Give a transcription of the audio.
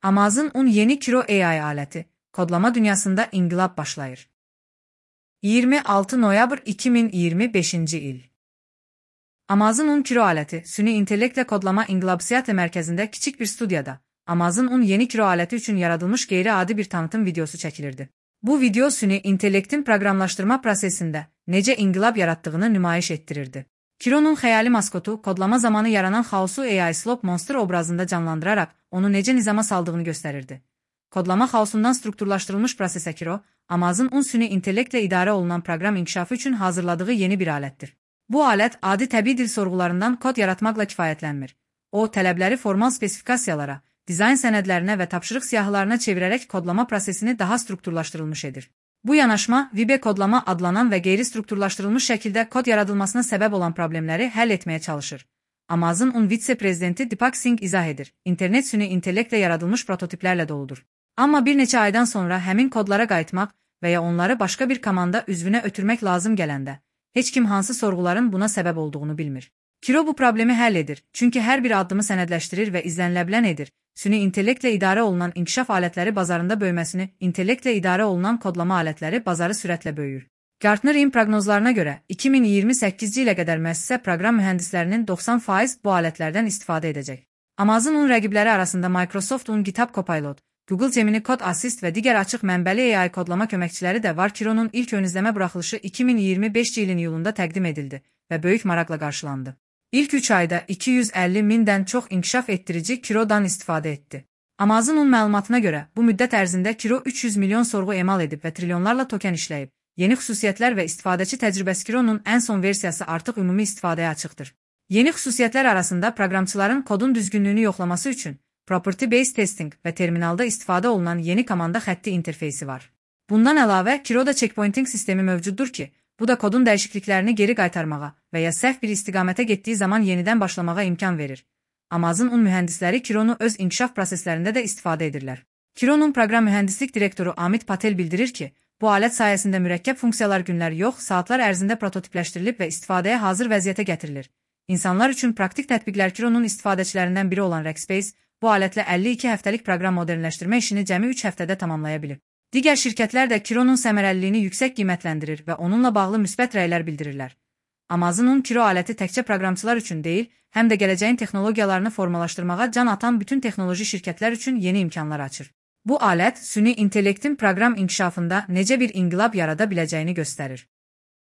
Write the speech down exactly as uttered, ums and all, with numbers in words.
Amazon yeni Kiro A I aləti, kodlama dünyasında inqilab başlayır. iyirmi altı noyabr iki min iyirmi beşinci il. Amazon Kiro aləti, süni intellektlə kodlama inqilabsiyyatı mərkəzində kiçik bir studiyada, Amazon yeni Kiro aləti üçün yaradılmış qeyri-adi bir tanıtım videosu çəkilirdi. Bu video süni intellektin proqramlaşdırma prosesində necə inqilab yaratdığını nümayiş etdirirdi. Kiro'nun xəyali maskotu kodlama zamanı yaranan xaosu A I Slop Monster obrazında canlandıraraq onu necə nizama saldığını göstərirdi. Kodlama xaosundan strukturlaşdırılmış prosesə Kiro, Amazon süni intellektlə idarə olunan proqram inkişafı üçün hazırladığı yeni bir alətdir. Bu alət adi təbii dil sorğularından kod yaratmaqla kifayətlənmir. O, tələbləri formal spesifikasiyalara, dizayn sənədlərinə və tapşırıq siyahılarına çevirərək kodlama prosesini daha strukturlaşdırılmış edir. Bu yanaşma, V B kodlama adlanan və qeyri-strukturlaşdırılmış şəkildə kod yaradılmasına səbəb olan problemləri həll etməyə çalışır. Amazon vitse-prezidenti Deepak Singh izah edir. İnternet süni intellektlə yaradılmış prototiplərlə doludur. Amma bir neçə aydan sonra həmin kodlara qayıtmaq və ya onları başqa bir komanda üzvünə ötürmək lazım gələndə, heç kim hansı sorğuların buna səbəb olduğunu bilmir. Kiro bu problemi həll edir, çünki hər bir addımı sənədləşdirir və izləniləbilən edir. Süni intellektlə idarə olunan inkişaf alətləri bazarında böyüməsini, intellektlə idarə olunan kodlama alətləri bazarı sürətlə böyüyür. Gartner-in proqnozlarına görə, iki min iyirmi səkkizinci ilə qədər müəssisə proqram mühəndislərinin doxsan faizi bu alətlərdən istifadə edəcək. Amazon rəqibləri arasında Microsoft GitHub Copilot, Google Gemini Code Assist və digər açıq mənbəli A I kodlama köməkçiləri də var. Kiro'nun ilk ön izləmə buraxılışı iki min iyirmi beşinci ilin iyulunda təqdim edildi və böyük maraqla qarşılandı. İlk üç ayda iki yüz əlli mindən çox inkişaf etdirici Kiro'dan istifadə etdi. Amazon'un məlumatına görə, bu müddət ərzində Kiro üç yüz milyon sorğu emal edib və trilyonlarla token işləyib. Yeni xüsusiyyətlər və istifadəçi təcrübəsi Kiro'nun ən son versiyası artıq ümumi istifadəyə açıqdır. Yeni xüsusiyyətlər arasında proqramçıların kodun düzgünlüyünü yoxlaması üçün Property Based Testing və terminalda istifadə olunan yeni komanda xətti interfeysi var. Bundan əlavə, Kiro'da checkpointing sistemi mövcuddur ki, bu da kodun dəyişikliklərini geri qaytarmağa və ya səhv bir istiqamətə getdiyi zaman yenidən başlamağa imkan verir. Amazon mühəndisləri Kiro'nu öz inkişaf proseslərində də istifadə edirlər. Kiro'nun proqram mühəndislik direktoru Amit Patel bildirir ki, bu alət sayəsində mürəkkəb funksiyalar günlər yox, saatlar ərzində prototipləşdirilib və istifadəyə hazır vəziyyətə gətirilir. İnsanlar üçün praktik tətbiqlər Kiro'nun istifadəçilərindən biri olan Rackspace, bu alətlə əlli iki həftəlik proqram modernləşdirmə işini cəmi üç həftədə tamamlaya bilib. Digər şirkətlər də Kiro'nun səmərəliliyini yüksək qiymətləndirir və onunla bağlı müsbət rəylər bildirirlər. Amazon Kiro aləti təkcə proqramçılar üçün deyil, həm də gələcəyin texnologiyalarını formalaşdırmağa can atan bütün texnoloji şirkətlər üçün yeni imkanlar açır. Bu alət, süni intellektin proqram inkişafında necə bir inqilab yarada biləcəyini göstərir.